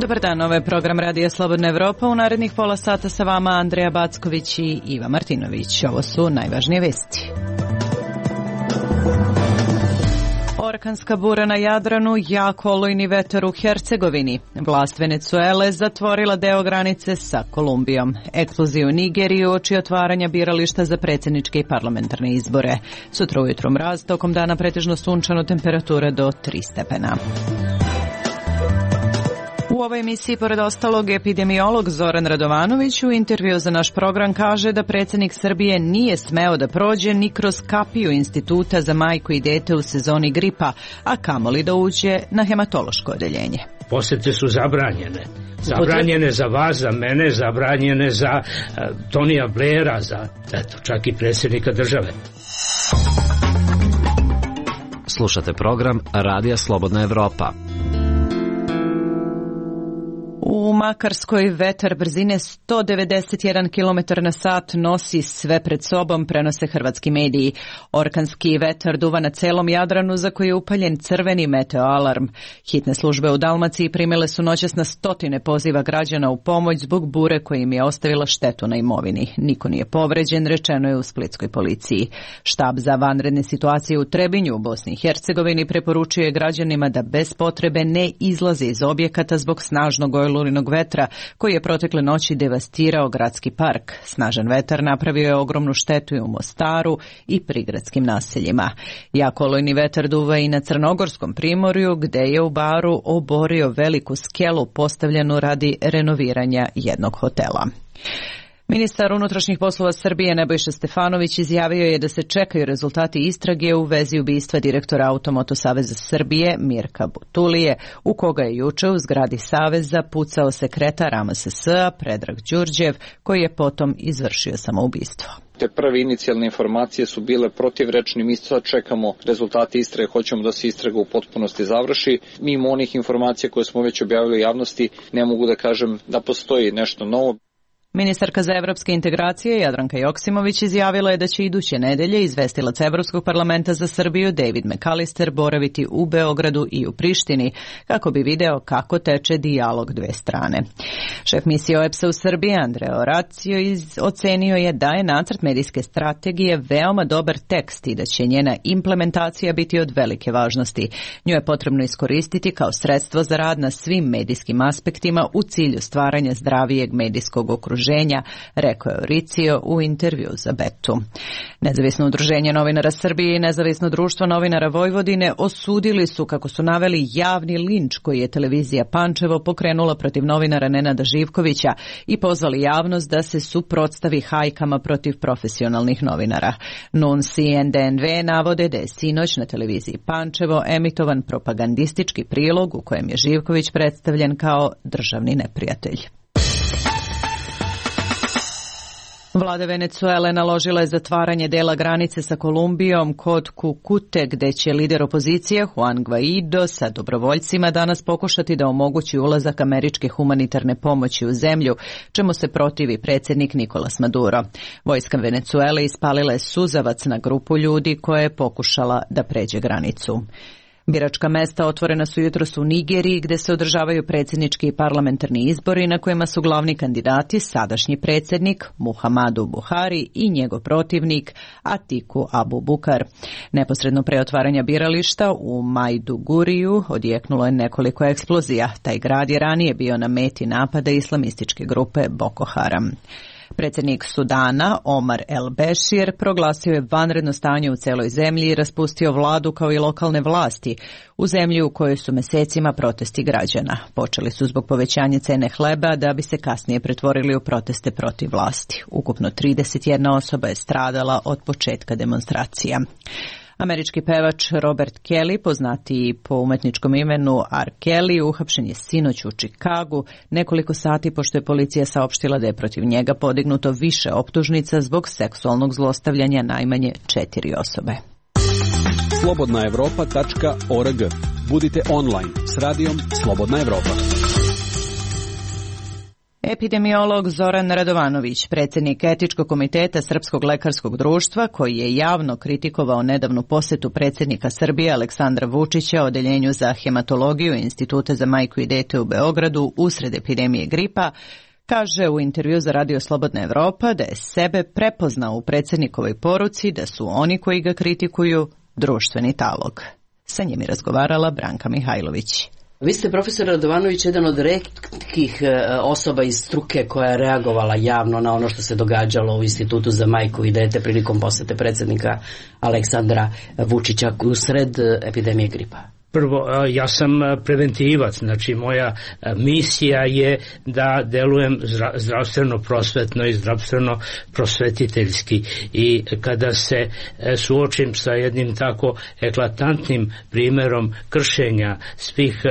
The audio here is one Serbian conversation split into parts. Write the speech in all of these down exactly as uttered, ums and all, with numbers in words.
Dobar dan, ovo je program Radija Slobodna Evropa. U narednih pola sata sa vama Andreja Backović i Iva Martinović. Ovo su najvažnije vesti. Orkanska bura na Jadranu, jak olujni vetar u Hercegovini. Vlast Venecuele zatvorila deo granice sa Kolumbijom. Eksplozija u Nigeriji uoči otvaranja birališta za predsjedničke i parlamentarne izbore. Sutra ujutro mraz, tokom dana pretežno sunčano, temperatura do tri stepena. U ovoj emisiji, pored ostalog, epidemiolog Zoran Radovanović u intervju za naš program kaže da predsjednik Srbije nije smeo da prođe ni kroz kapiju Instituta za majku i dete u sezoni gripa, a kamoli da uđe na hematološko odeljenje. Posete su zabranjene. Zabranjene za vas, za mene, zabranjene za uh, Tonija Blaira, za eto, čak i predsjednika države. Slušate program Radija Slobodna Evropa. U Makarskoj vetar brzine sto devedeset jedan kilometar na sat nosi sve pred sobom, prenose hrvatski mediji. Orkanski vetar duva na celom Jadranu, za koji je upaljen crveni meteoalarm. Hitne službe u Dalmaciji primile su noćas na stotine poziva građana u pomoć zbog bure koja im je ostavila štetu na imovini. Niko nije povređen, rečeno je u splitskoj policiji. Štab za vanredne situacije u Trebinju u Bosni i Hercegovini preporučuje građanima da bez potrebe ne izlaze iz objekata zbog snažnog olujnog vetra koji je protekle noći devastirao gradski park. Snažan vetar napravio je ogromnu štetu i u Mostaru i prigradskim naseljima. Jak olujni vetar duva i na Crnogorskom primorju, gde je u Baru oborio veliku skelu postavljenu radi renoviranja jednog hotela. Ministar unutrašnjih poslova Srbije Nebojša Stefanović izjavio je da se čekaju rezultati istrage u vezi ubistva direktora Automoto Saveza Srbije Mirka Butulije, u koga je juče u zgradi Saveza pucao sekretar A M S S-a Predrag Đurđev, koji je potom izvršio samoubistvo. Te prve inicijalne informacije su bile protivrečne, mi sad čekamo rezultate istrage, hoćemo da se istraga u potpunosti završi. Mimo onih informacija koje smo već objavili u javnosti, ne mogu da kažem da postoji nešto novo. Ministarka za evropske integracije Jadranka Joksimović izjavila je da će iduće nedelje izvestilac Evropskog parlamenta za Srbiju David McAllister boraviti u Beogradu i u Prištini kako bi video kako teče dijalog dve strane. Šef misije O E P S-a u Srbiji Andrea Oracio ocenio je da je nacrt medijske strategije veoma dobar tekst i da će njena implementacija biti od velike važnosti. Nju je potrebno iskoristiti kao sredstvo za rad na svim medijskim aspektima u cilju stvaranja zdravijeg medijskog okruženja, rekao je Oricio u intervju za Betu. Nezavisno udruženje novinara Srbije i Nezavisno društvo novinara Vojvodine osudili su, kako su naveli, javni linč koji je televizija Pančevo pokrenula protiv novinara Nenada Živkovića i pozvali javnost da se suprotstavi hajkama protiv profesionalnih novinara. N U N S i N D N V navode da je sinoć na televiziji Pančevo emitovan propagandistički prilog u kojem je Živković predstavljen kao državni neprijatelj. Vlada Venecuele naložila je zatvaranje dela granice sa Kolumbijom kod Kukute, gde će lider opozicije Juan Guaido sa dobrovoljcima danas pokušati da omogući ulazak američke humanitarne pomoći u zemlju, čemu se protivi predsjednik Nicolas Maduro. Vojska Venecuele ispalila je suzavac na grupu ljudi koja je pokušala da pređe granicu. Biračka mesta otvorena su jutros u Nigeriji, gde se održavaju predsjednički i parlamentarni izbori na kojima su glavni kandidati sadašnji predsjednik Muhammadu Buhari i njegov protivnik Atiku Abubakar. Neposredno pre otvaranja birališta u Maiduguriju odjeknulo je nekoliko eksplozija. Taj grad je ranije bio na meti napada islamističke grupe Boko Haram. Predsjednik Sudana, Omar El Bešir, proglasio je vanredno stanje u celoj zemlji i raspustio vladu kao i lokalne vlasti u zemlji u kojoj su mesecima protesti građana. Počeli su zbog povećanja cene hleba da bi se kasnije pretvorili u proteste protiv vlasti. Ukupno trideset jedna osoba je stradala od početka demonstracija. Američki pevač Robert Kelly, poznatiji po umetničkom imenu R. Kelly, uhapšen je sinoć u Čikagu, nekoliko sati pošto je policija saopštila da je protiv njega podignuto više optužnica zbog seksualnog zlostavljanja najmanje četiri osobe. slobodna evropa tačka org. Budite online s radijom Slobodna Evropa. Epidemiolog Zoran Radovanović, predsjednik Etičkog komiteta Srpskog lekarskog društva, koji je javno kritikovao nedavnu posetu predsjednika Srbije Aleksandra Vučića odeljenju za hematologiju Instituta za majku i dete u Beogradu usred epidemije gripa, kaže u intervju za Radio Slobodna Evropa da je sebe prepoznao u predsjednikovoj poruci da su oni koji ga kritikuju društveni talog. Sa njim je razgovarala Branka Mihajlović. Vi ste, profesor Radovanović, jedan od retkih osoba iz struke koja je reagovala javno na ono što se događalo u Institutu za majku i dete prilikom posete predsjednika Aleksandra Vučića usred epidemije gripa. Prvo, ja sam preventivac, znači moja misija je da delujem zdravstveno prosvetno i zdravstveno prosvetiteljski, i kada se suočim sa jednim tako eklatantnim primjerom kršenja svih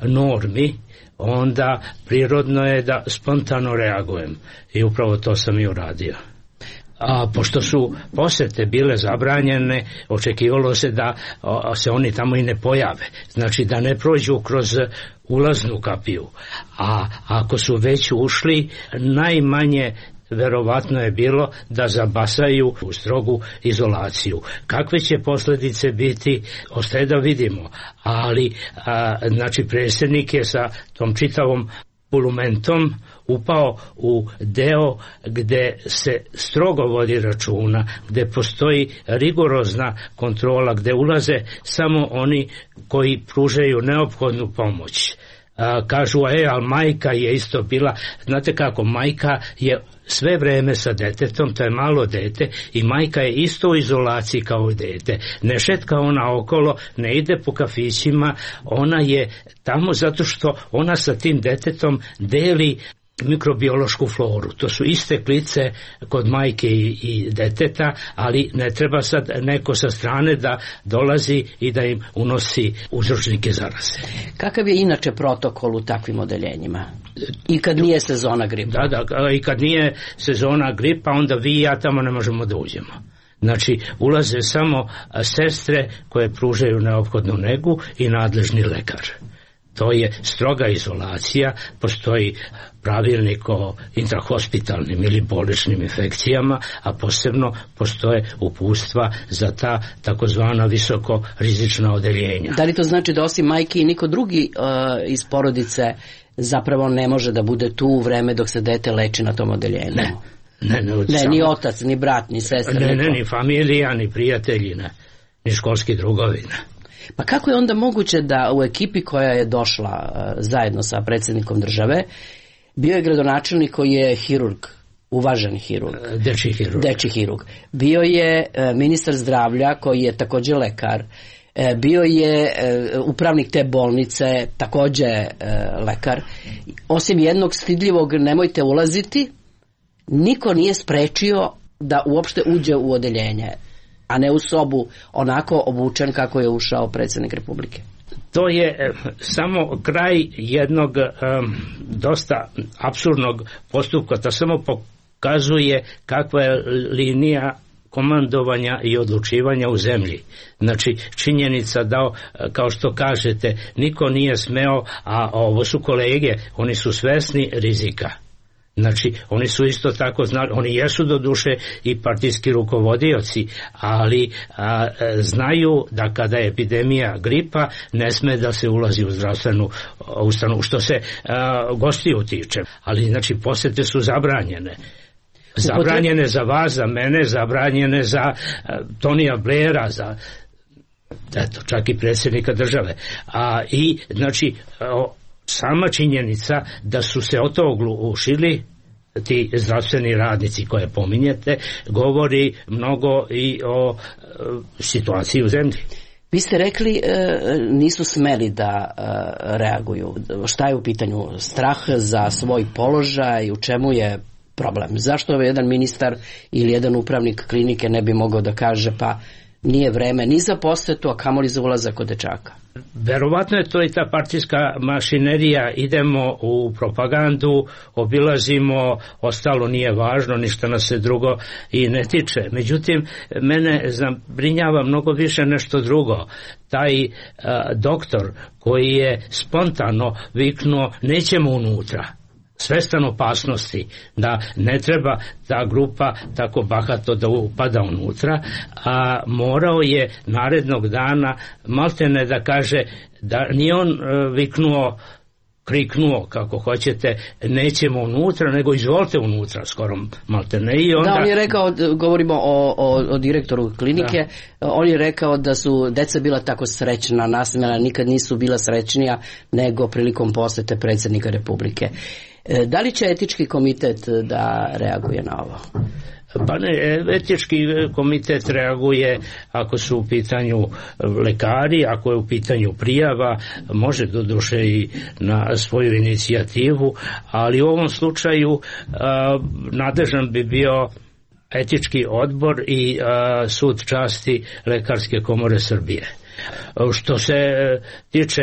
normi, onda prirodno je da spontano reagujem, i upravo to sam i uradio. A pošto su posete bile zabranjene, očekivalo se da a, se oni tamo i ne pojave, znači da ne prođu kroz ulaznu kapiju, a ako su već ušli, najmanje verovatno je bilo da zabasaju u strogu izolaciju. Kakve će posljedice biti, ostaje da vidimo, ali a, znači predsjednik je sa tom čitavom bulumentom upao u deo gde se strogo vodi računa, gde postoji rigorozna kontrola, gde ulaze samo oni koji pružaju neophodnu pomoć. A, kažu, e, ali majka je isto bila, znate kako, majka je sve vreme sa detetom, to je malo dete, i majka je isto u izolaciji kao i dete. Ne šetka ona okolo, ne ide po kafićima, ona je tamo zato što ona sa tim detetom deli mikrobiološku floru. To su iste klice kod majke i, i deteta, ali ne treba sad neko sa strane da dolazi i da im unosi uzročnike zaraze. Kakav je inače protokol u takvim odeljenjima? I kad nije sezona gripa? Da, da, i kad nije sezona gripa, onda vi i ja tamo ne možemo da uđemo. Znači, ulaze samo sestre koje pružaju neophodnu negu i nadležni lekar. To je stroga izolacija, postoji pravilnik o intrahospitalnim ili bolničnim infekcijama, a posebno postoje uputstva za ta takozvana visoko rizična odeljenja. Da li to znači da osim majke i niko drugi uh, iz porodice zapravo ne može da bude tu u vreme dok se dete leči na tom odeljenju? Ne. Ne, ne, ne samo, ni otac, ni brat, ni sestra. Ne, ne, ni familija, ni prijatelji, ne, ni školski drugovi, ne. Pa kako je onda moguće da u ekipi koja je došla uh, zajedno sa predsjednikom države bio je gradonačelnik koji je hirurg, uvaženi hirurg, dečji hirurg. Dečji hirurg. Bio je uh, ministar zdravlja koji je također lekar, uh, bio je uh, upravnik te bolnice, također uh, lekar. Osim jednog stidljivog nemojte ulaziti, niko nije sprečio da uopšte uđe u odeljenje, a ne u sobu onako obučen kako je ušao predsjednik Republike. To je samo kraj jednog um, dosta apsurdnog postupka. To samo pokazuje kakva je linija komandovanja i odlučivanja u zemlji. Znači, činjenica da, kao što kažete, niko nije smeo, a ovo su kolege, oni su svesni rizika. Znači, oni su isto tako znali, oni jesu do duše i partijski rukovodioci, ali a, znaju da kada je epidemija gripa, ne sme da se ulazi u zdravstvenu ustanovu, što se a, gostiju tiče. Ali, znači, posete su zabranjene. Zabranjene za vas, za mene, zabranjene za a, Tonija Blaira, za eto, čak i predsjednika države. A, I, znači, o, sama činjenica da su se o to oglušili ti zdravstveni radnici koje pominjete, govori mnogo i o e, situaciji u zemlji. Vi ste rekli e, nisu smeli da e, reaguju. Šta je u pitanju? Strah za svoj položaj? U čemu je problem? Zašto jedan ministar ili jedan upravnik klinike ne bi mogao da kaže pa nije vreme ni za posetu, a kamoli za ulazak kod dečaka? Verovatno je to i ta partijska mašinerija, idemo u propagandu, obilazimo, ostalo nije važno, ništa nas se drugo i ne tiče. Međutim, mene zabrinjava mnogo više nešto drugo. Taj uh, doktor koji je spontano viknuo nećemo unutra. svestan opasnosti da ne treba ta grupa tako bahato da upada unutra, a morao je narednog dana maltene da kaže da nije on viknuo, kriknuo, kako hoćete, nećemo unutra, nego izvolite unutra, skoro maltene. I onda... Da, on je rekao, govorimo o, o, o direktoru klinike, da. On je rekao da su deca bila tako srećna, nasmijana, nikad nisu bila srećnija nego prilikom posete predsjednika Republike. Da li će etički komitet da reaguje na ovo? Pa ne, etički komitet reaguje ako su u pitanju lekari, ako je u pitanju prijava, može doduše i na svoju inicijativu, ali u ovom slučaju a, nadležan bi bio etički odbor i a, sud časti Lekarske komore Srbije. Što se tiče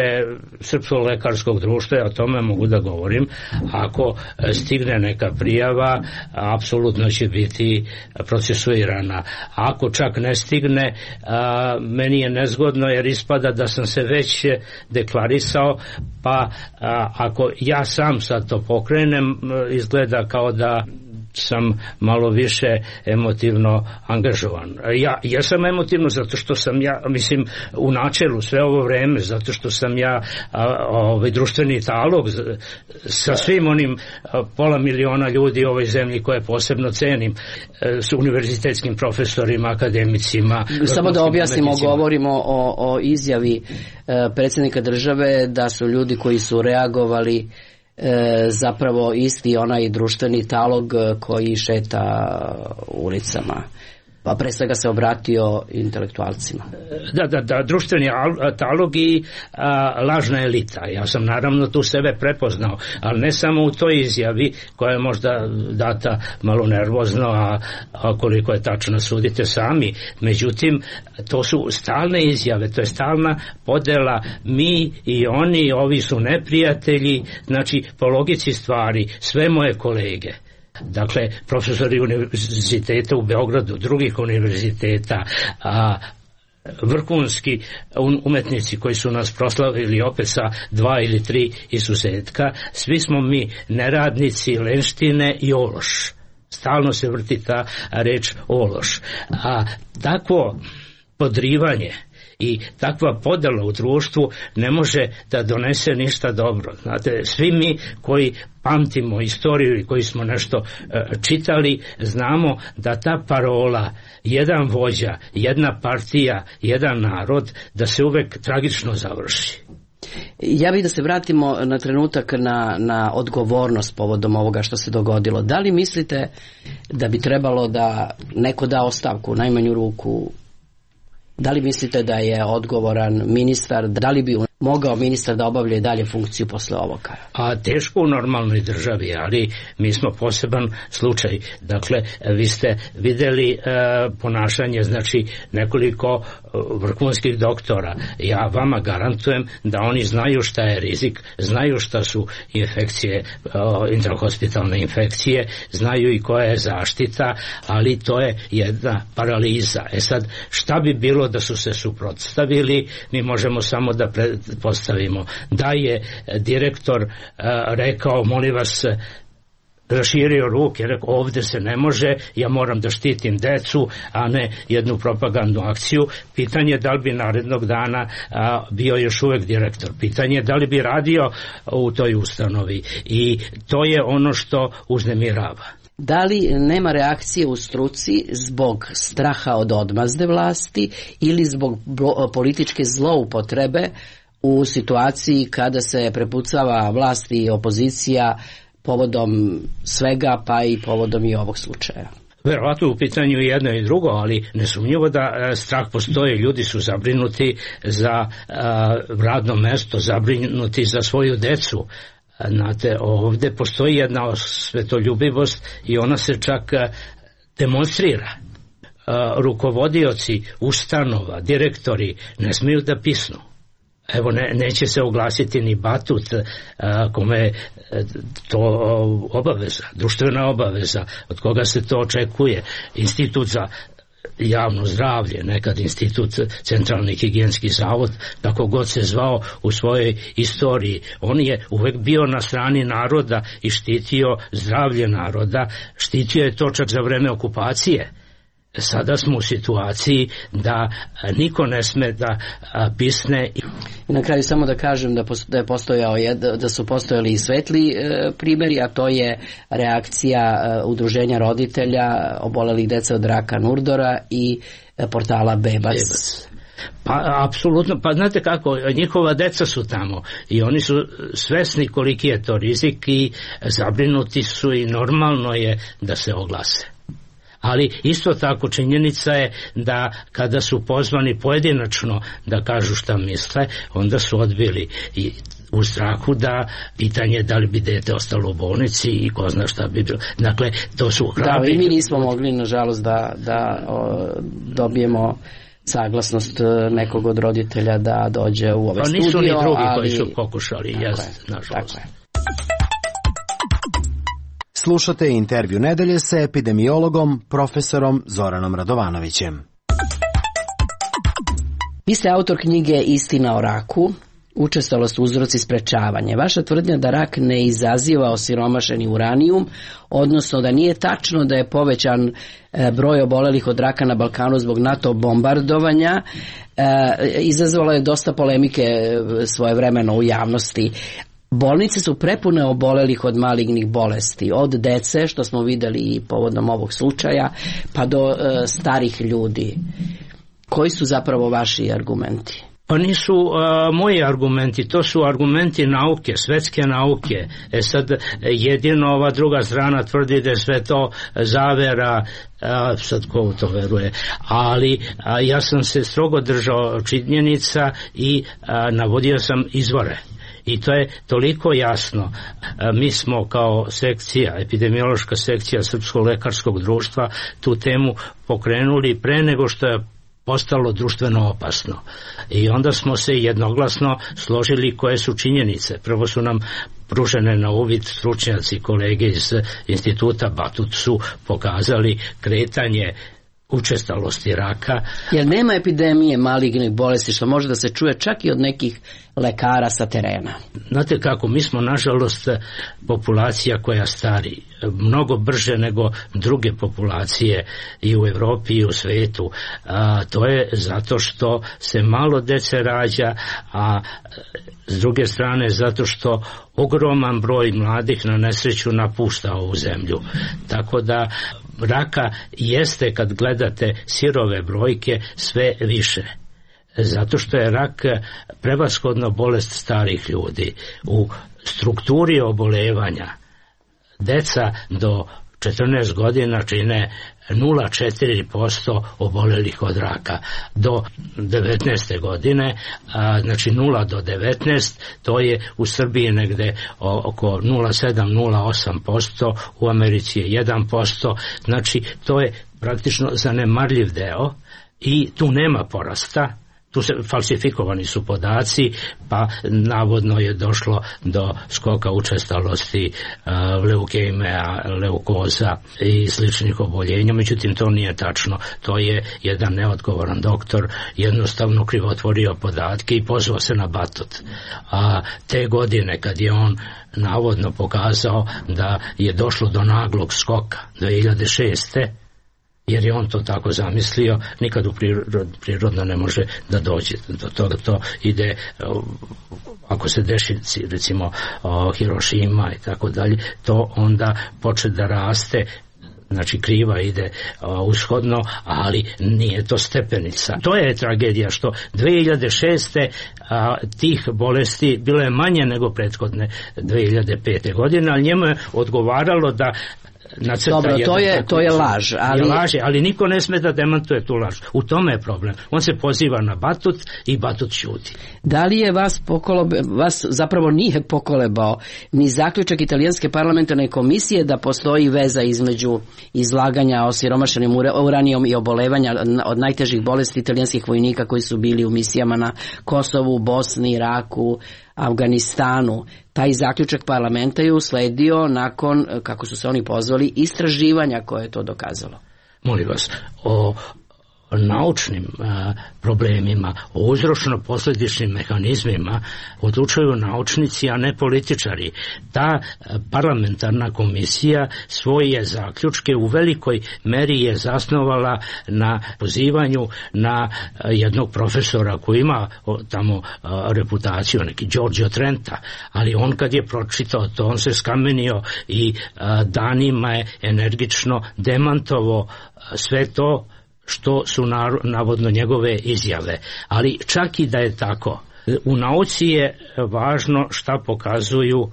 Srpskog lekarskog društva, ja o tome mogu da govorim. Ako stigne neka prijava, apsolutno će biti procesuirana. Ako čak ne stigne, a, meni je nezgodno jer ispada da sam se već deklarisao, pa a, ako ja sam sad to pokrenem, izgleda kao da sam malo više emotivno angažovan. Ja, ja sam emotivno zato što sam ja, mislim, u načelu sve ovo vreme, zato što sam ja a, ovaj društveni talog sa svim onim a, pola miliona ljudi u ovoj zemlji koje posebno cenim, a, s univerzitetskim profesorima, akademicima. Samo da objasnimo, medicima. Govorimo o, o izjavi a, predsjednika države da su ljudi koji su reagovali E, zapravo isti onaj društveni talog koji šeta ulicama, pa pre svega se obratio intelektualcima. Da, da, da, društveni talog i a, lažna elita. Ja sam naravno tu sebe prepoznao, ali ne samo u toj izjavi koja je možda data malo nervozno, a, a koliko je tačno sudite sami. Međutim, to su stalne izjave, to je stalna podela mi i oni, ovi su neprijatelji, znači po logici stvari sve moje kolege. Dakle, profesori univerziteta u Beogradu, drugih univerziteta, a vrhunski umetnici koji su nas proslavili opet sa dva ili tri izuzetka, svi smo mi neradnici, lenštine i ološ. Stalno se vrti ta reč ološ. A takvo podrivanje i takva podela u društvu ne može da donese ništa dobro. Znate, svi mi koji pamtimo istoriju i koji smo nešto e, čitali, znamo da ta parola jedan vođa, jedna partija, jedan narod, da se uvek tragično završi. Ja bih da se vratimo na trenutak na, na odgovornost povodom ovoga što se dogodilo. Da li mislite da bi trebalo da neko da ostavku, u najmanju ruku? Da li mislite da je odgovoran ministar, da li bi mogao ministar da obavlja dalje funkciju posle ovoga? A teško u normalnoj državi, ali mi smo poseban slučaj. Dakle, vi ste videli e, ponašanje, znači nekoliko vrhunskih doktora. Ja vama garantujem da oni znaju šta je rizik, znaju šta su infekcije, e, intrahospitalne infekcije, znaju i koja je zaštita, ali to je jedna paraliza. E sad, šta bi bilo da su se suprotstavili? Mi možemo samo da pretpostavimo da je direktor uh, rekao, molim vas, raširio ruke, rekao ovde se ne može, ja moram da štitim decu, a ne jednu propagandnu akciju. Pitanje je da li bi narednog dana a, bio još uvek direktor. Pitanje je da li bi radio u toj ustanovi. I to je ono što uznemirava. Da li nema reakcije u struci zbog straha od odmazde vlasti ili zbog političke zloupotrebe u situaciji kada se prepucava vlast i opozicija povodom svega, pa i povodom i ovog slučaja? Verovatno u pitanju i jedno i drugo, ali nesumnjivo da strah postoji. Ljudi su zabrinuti za radno mesto, zabrinuti za svoju decu. Znate, ovde postoji jedna svetoljubivost i ona se čak demonstrira. Rukovodioci ustanova, direktori ne smiju da pisnu. Evo, ne, neće se oglasiti ni Batut, a, kome je to obaveza, društvena obaveza, od koga se to očekuje. Institut za javno zdravlje, nekad institut Centralni higijenski zavod, kako god se zvao u svojoj istoriji. On je uvek bio na strani naroda i štitio zdravlje naroda, štitio je to čak za vreme okupacije. Sada smo u situaciji da niko ne sme da pisne. I na kraju samo da kažem da, da, je postojao, da su postojali i svetli e, primjeri, a to je reakcija e, udruženja roditelja obolelih dece od raka Nurdora i e, portala Bebac. Bebac. Pa apsolutno, pa znate kako, njihova deca su tamo i oni su svesni koliki je to rizik i zabrinuti su i normalno je da se oglase. Ali isto tako činjenica je da kada su pozvani pojedinačno da kažu šta misle, onda su odbili i u strahu da pitanje da li bi dete ostalo u bolnici i ko zna šta bi bilo. Dakle, to su hrabri. Da, i mi nismo mogli, nažalost, da, da o, dobijemo saglasnost nekog od roditelja da dođe u ove pa studio. Nisu ni drugi ali... koji su pokušali, jest, nažalost. Slušate intervju nedelje sa epidemiologom profesorom Zoranom Radovanovićem. Vi ste autor knjige Istina o raku, učestalost, uzroci, sprečavanje. Vaša tvrdnja da rak ne izaziva osiromašeni uranijum, odnosno da nije tačno da je povećan broj obolelih od raka na Balkanu zbog NATO bombardovanja, izazvalo je dosta polemike svojevremeno u javnosti. Bolnice su prepune obolelih od malignih bolesti, od dece, što smo vidjeli i povodom ovog slučaja, pa do e, starih ljudi. Koji su zapravo vaši argumenti? Pa nisu uh, moji argumenti, to su argumenti nauke, svetske nauke. E sad, jedino ova druga strana tvrdi da je sve to zavera, uh, sad ko u to veruje, ali uh, ja sam se strogo držao činjenica i uh, navodio sam izvore. I to je toliko jasno. Mi smo kao sekcija, epidemiološka sekcija Srpskog lekarskog društva tu temu pokrenuli pre nego što je postalo društveno opasno. I onda smo se jednoglasno složili koje su činjenice. Prvo su nam pružene na uvid stručnjaci, kolege iz instituta Batut su pokazali kretanje učestalosti raka. Jer nema epidemije malignih bolesti, što može da se čuje čak i od nekih lekara sa terena. Znate kako, mi smo nažalost populacija koja stari mnogo brže nego druge populacije i u Evropi i u svetu. A, to je zato što se malo dece rađa, a s druge strane zato što ogroman broj mladih na nesreću napušta ovu zemlju. Tako da raka jeste, kad gledate sirove brojke, sve više. Zato što je rak prevashodno bolest starih ljudi. U strukturi obolevanja deca do četrnaest godina čine nula zarez četiri posto obolelih od raka. Do devetnaeste godine, a, znači nula do devetnaest, to je u Srbiji negde oko nula zarez sedam do nula zarez osam posto, u Americi je jedan posto, znači to je praktično zanemarljiv deo i tu nema porasta. Tu se falsifikovani su podaci, pa navodno je došlo do skoka učestalosti uh, leukemija, leukoza i sličnih oboljenja, međutim to nije tačno. To je jedan neodgovoran doktor jednostavno krivotvorio podatke i pozvao se na Batut. A te godine kad je on navodno pokazao da je došlo do naglog skoka dve hiljade šeste jer je on to tako zamislio, nikad u prirod, prirodno ne može da dođe do toga. To ide, ako se deši recimo Hirošima i tako dalje, to onda počne da raste, znači kriva ide uh, ushodno, ali nije to stepenica. To je tragedija što dve hiljade šeste uh, tih bolesti bilo je manje nego prethodne dve hiljade pete godine, ali njemu je odgovaralo da Dobro, to je, to je laž. Ali... Je laž, ali niko ne sme da demantuje tu laž. U tome je problem. On se poziva na Batut i Batut ćuti. Da li je vas pokolebe, vas zapravo nije pokolebao ni zaključak italijanske parlamentarne komisije da postoji veza između izlaganja osiromašenim uranijom i obolevanja od najtežih bolesti italijanskih vojnika koji su bili u misijama na Kosovu, Bosni, Iraku, Afganistanu. Taj zaključak parlamenta je usledio nakon, kako su se oni pozvali, istraživanja koje je to dokazalo. Molim vas, o naučnim a, problemima, o uzročno-posledičnim mehanizmima odlučuju naučnici, a ne političari. Ta parlamentarna komisija svoje zaključke u velikoj meri je zasnovala na pozivanju na jednog profesora koji ima tamo reputaciju, neki Giorgio Trenta, ali on kad je pročitao to, on se skamenio i danima je energično demantovao sve to što su navodno njegove izjave. Ali čak i da je tako, u nauci je važno šta pokazuju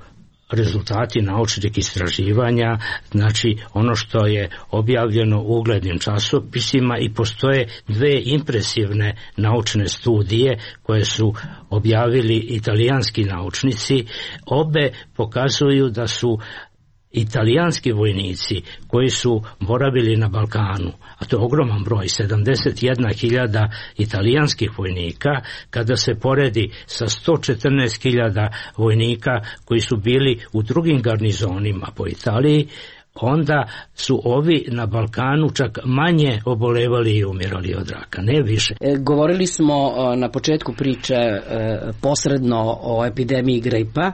rezultati naučnih istraživanja, znači ono što je objavljeno u uglednim časopisima, i postoje dve impresivne naučne studije koje su objavili italijanski naučnici. Obe pokazuju da su italijanski vojnici koji su boravili na Balkanu, a to je ogroman broj, sedamdeset jedna hiljada italijanskih vojnika, kada se poredi sa sto četrnaest hiljada vojnika koji su bili u drugim garnizonima po Italiji, onda su ovi na Balkanu čak manje obolevali i umirali od raka, ne više. E, govorili smo na početku priče e, posredno o epidemiji gripa.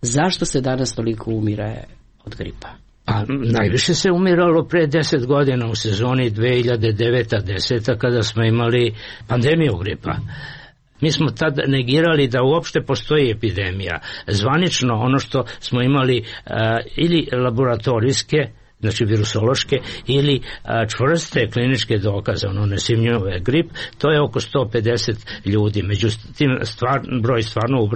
Zašto se danas toliko umire od gripa? A najviše se umiralo pre deset godina u sezoni dve hiljade deveta deseta kada smo imali pandemiju gripa. Mi smo tad negirali da uopšte postoji epidemija. Zvanično ono što smo imali uh, ili laboratorijske, znači virusološke, ili a, čvrste kliničke dokaze, ono nesumnjivo grip, to je oko sto pedeset ljudi. Međutim, stvar, broj stvarno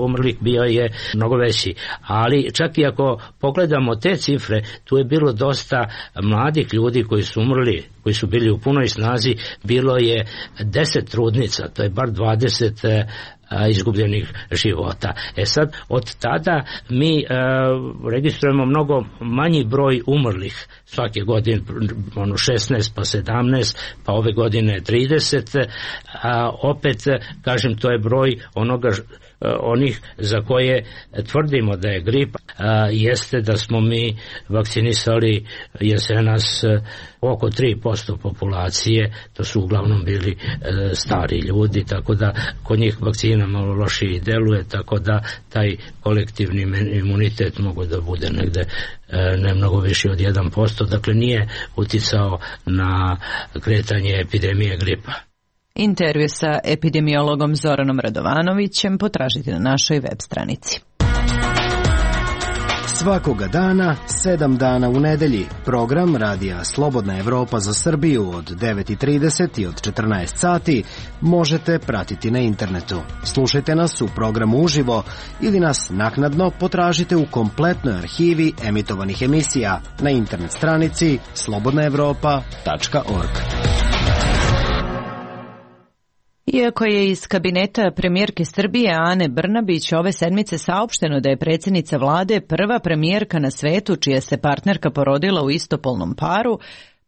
umrlih bio je mnogo veći. Ali čak i ako pogledamo te cifre, tu je bilo dosta mladih ljudi koji su umrli, koji su bili u punoj snazi, bilo je deset trudnica, to je bar dvadeset izgubljenih života. E sad, od tada mi e, registrujemo mnogo manji broj umrlih svake godine, ono šesnaest pa sedamnaest, pa ove godine trideset, a opet, kažem, to je broj onoga onih za koje tvrdimo da je grip, a, jeste da smo mi vakcinisali jesenas oko tri posto populacije, to su uglavnom bili e, stari ljudi, tako da kod njih vakcina malo lošije deluje, tako da taj kolektivni imunitet mogu da bude negde e, ne mnogo više od jedan posto, dakle nije uticao na kretanje epidemije gripa. Intervju sa epidemiologom Zoranom Radovanovićem potražite na našoj web stranici. Svakoga dana, sedam dana u nedelji, program Radija Slobodna Evropa za Srbiju od devet i trideset i od četrnaest sati možete pratiti na internetu. Slušajte nas u programu uživo ili nas naknadno potražite u kompletnoj arhivi emitovanih emisija na internet stranici slobodna evropa tačka org. Iako je iz kabineta premijerke Srbije Ane Brnabić ove sedmice saopšteno da je predsjednica vlade prva premijerka na svetu čija se partnerka porodila u istopolnom paru,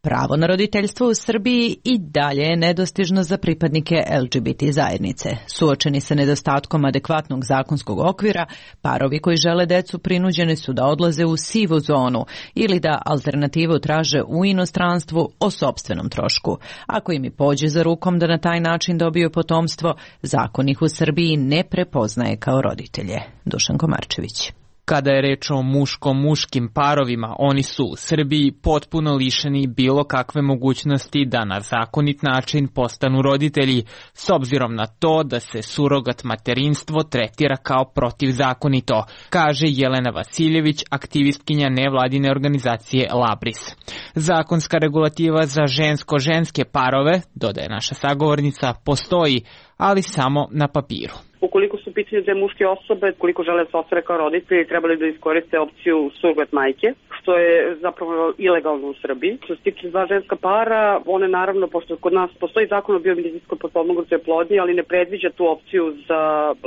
pravo na roditeljstvo u Srbiji i dalje je nedostižno za pripadnike el ge be te zajednice. Suočeni sa nedostatkom adekvatnog zakonskog okvira, parovi koji žele decu prinuđeni su da odlaze u sivu zonu ili da alternativu traže u inostranstvu o sopstvenom trošku. Ako im i pođe za rukom da na taj način dobiju potomstvo, zakon ih u Srbiji ne prepoznaje kao roditelje. Dušan Komarčević. Kada je reč o muško-muškim parovima, oni su u Srbiji potpuno lišeni bilo kakve mogućnosti da na zakonit način postanu roditelji, s obzirom na to da se surogat materinstvo tretira kao protivzakonito, kaže Jelena Vasiljević, aktivistkinja nevladine organizacije Labris. Zakonska regulativa za žensko-ženske parove, dodaje naša sagovornica, postoji, ali samo na papiru. Ukoliko su pitanje dve muške osobe, koliko žele da se ostvare kao roditelji, trebali da iskoriste opciju surrogat majke, što je zapravo ilegalno u Srbiji. Što se tiče dva ženska para, one naravno, pošto kod nas postoji zakon o biomedicinskoj potpomognutoj oplodnji, ali ne predviđa tu opciju za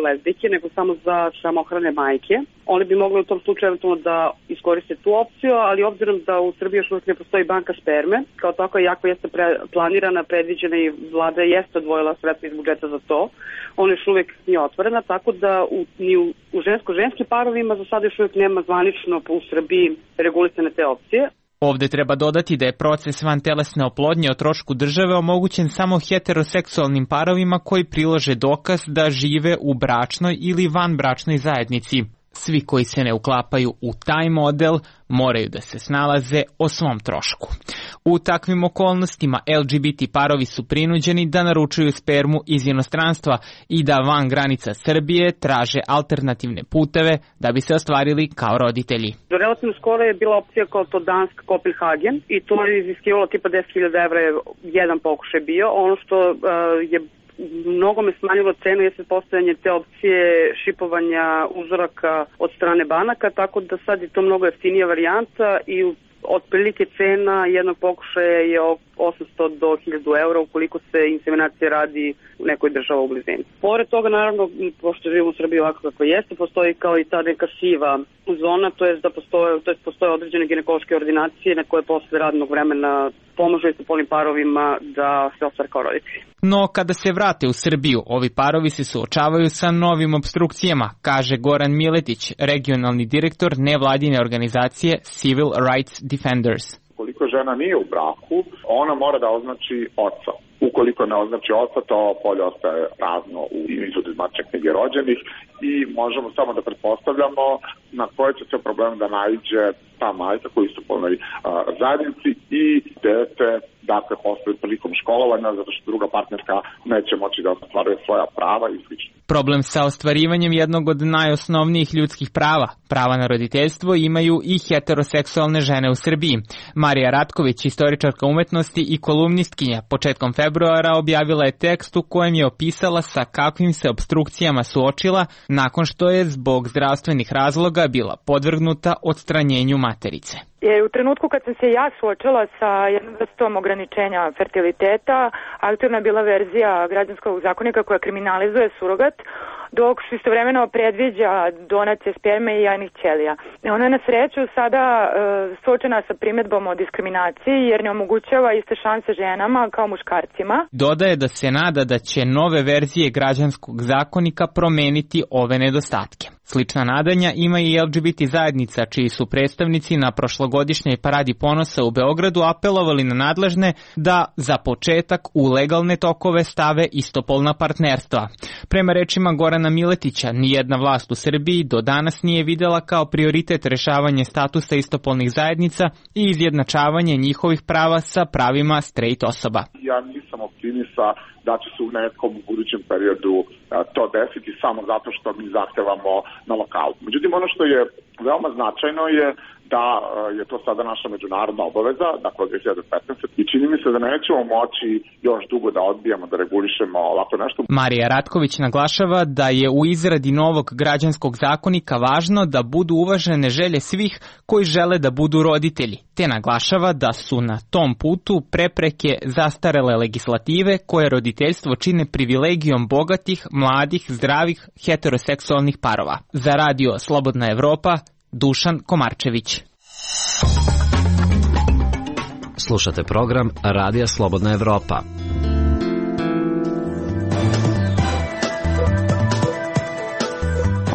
lezbijke, nego samo za samohrane majke. One bi mogle u tom slučaju eventualno da iskoriste tu opciju, ali obzirom da u Srbiji još uvijek ne postoji banka sperme, kao tako jako jeste pre, planirana, predviđena i vlada jeste odvojila sredstva iz budžeta za to, ona još uvijek nije otvorena, tako da u, ni u, u žensko-ženskim parovima za sada još uvijek nema zvanično u Srbiji regulisane te opcije. Ovde treba dodati da je proces vantelesne oplodnje o trošku države omogućen samo heteroseksualnim parovima koji prilože dokaz da žive u bračnoj ili vanbračnoj zajednici. Svi koji se ne uklapaju u taj model moraju da se snalaze o svom trošku. U takvim okolnostima L G B T parovi su prinuđeni da naručuju spermu iz inostranstva i da van granica Srbije traže alternativne puteve da bi se ostvarili kao roditelji. Relativno skoro je bila opcija kao to Dansk Kopenhagen i to je iziskivalo tipa deset hiljada evra je jedan pokušaj bio. Ono što uh, je mnogo me smanjilo cenu jeste postojanje te opcije šipovanja uzoraka od strane banaka, tako da sad je to mnogo jeftinija varijanta i otprilike cena jednog pokušaja je osamsto do hiljadu eura ukoliko se inseminacija radi u nekoj država u blizini. Pored toga, naravno, pošto živimo u Srbiji ovako kako jeste, postoji kao i ta neka siva zona, to je da postoje, to je postoje određene ginekološke ordinacije na koje posle radnog vremena pomažu i sa polnim parovima da se ostvare kao roditelji. No, kada se vrate u Srbiju, ovi parovi se suočavaju sa novim obstrukcijama, kaže Goran Miletić, regionalni direktor nevladine organizacije Civil Rights Defenders. Ukoliko žena nije u braku, ona mora da označi oca. Ukoliko ne označi oca, to polje ostaje prazno u izvodu iz matične knjige rođenih i možemo samo da pretpostavljamo na koje će se problem da naiđe ta majka koji su polnoj zajednici i dete, dakle, postoji prilikom školovanja, zato što druga partnerka neće moći da ostvaruje svoja prava i slično. Problem sa ostvarivanjem jednog od najosnovnijih ljudskih prava, prava na roditeljstvo, imaju i heteroseksualne žene u Srbiji. Marija Ratković, istoričarka umetnosti i kolumnistkinja, početkom februara objavila je tekst u kojem je opisala sa kakvim se obstrukcijama suočila nakon što je zbog zdravstvenih razloga bila podvrgnuta odstranjenju materice. Je u trenutku kad sam se ja suočila sa jednom vrstom ograničenja fertiliteta, aktualna je bila verzija građanskog zakonika koja kriminalizuje surogat, dok istovremeno predviđa donacije sperme i jajnih ćelija. Ona je na sreću sada e, suočena sa primjedbom o diskriminaciji jer ne omogućava iste šanse ženama kao muškarcima. Dodaje da se nada da će nove verzije građanskog zakonika promeniti ove nedostatke. Slična nadanja ima i L G B T zajednica, čiji su predstavnici na prošlogodišnjoj paradi ponosa u Beogradu apelovali na nadležne da za početak u legalne tokove stave istopolna partnerstva. Prema rečima Gorana Miletića, nijedna vlast u Srbiji do danas nije videla kao prioritet rešavanje statusa istopolnih zajednica i izjednačavanje njihovih prava sa pravima straight osoba. Ja nisam optimista da će se u nekom budućem periodu to desiti samo zato što mi zahtevamo na lokalu. Međutim, ono što je veoma značajno je da je to sada naša međunarodna obaveza, dakle od dve hiljade petnaeste. I čini mi se da nećemo moći još dugo da odbijamo, da regulišemo ovako nešto. Marija Ratković naglašava da je u izradi novog građanskog zakonika važno da budu uvažene želje svih koji žele da budu roditelji, te naglašava da su na tom putu prepreke zastarele legislative koje roditeljstvo čine privilegijom bogatih, mladih, zdravih, heteroseksualnih parova. Za radio Slobodna Evropa, Dušan Komarčević. Slušate program Radija Slobodna Evropa.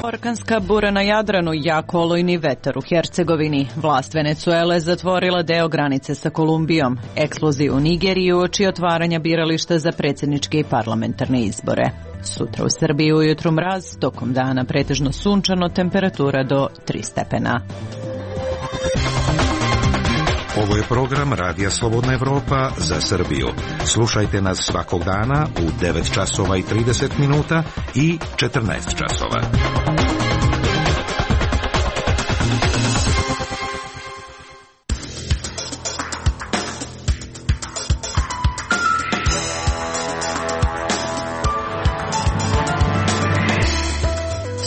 Orkanska bura na Jadranu, jak olujni vetar u Hercegovini. Vlast Venecuele zatvorila deo granice sa Kolumbijom. Eksplozije u Nigeriji uoči otvaranja birališta za predsjedničke i parlamentarne izbore. Sutra u Srbiji ujutru mraz, tokom dana pretežno sunčano, temperatura do tri stepena. Ovo je program Radija Slobodna Evropa za Srbiju. Slušajte nas svakog dana u devet časova i trideset minuta i četrnaest časova.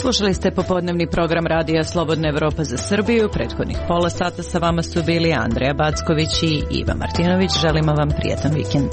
Slušali ste popodnevni program Radija Slobodna Evropa za Srbiju. Prethodnih pola sata sa vama su bili Andreja Backović i Iva Martinović. Želimo vam prijetan vikend.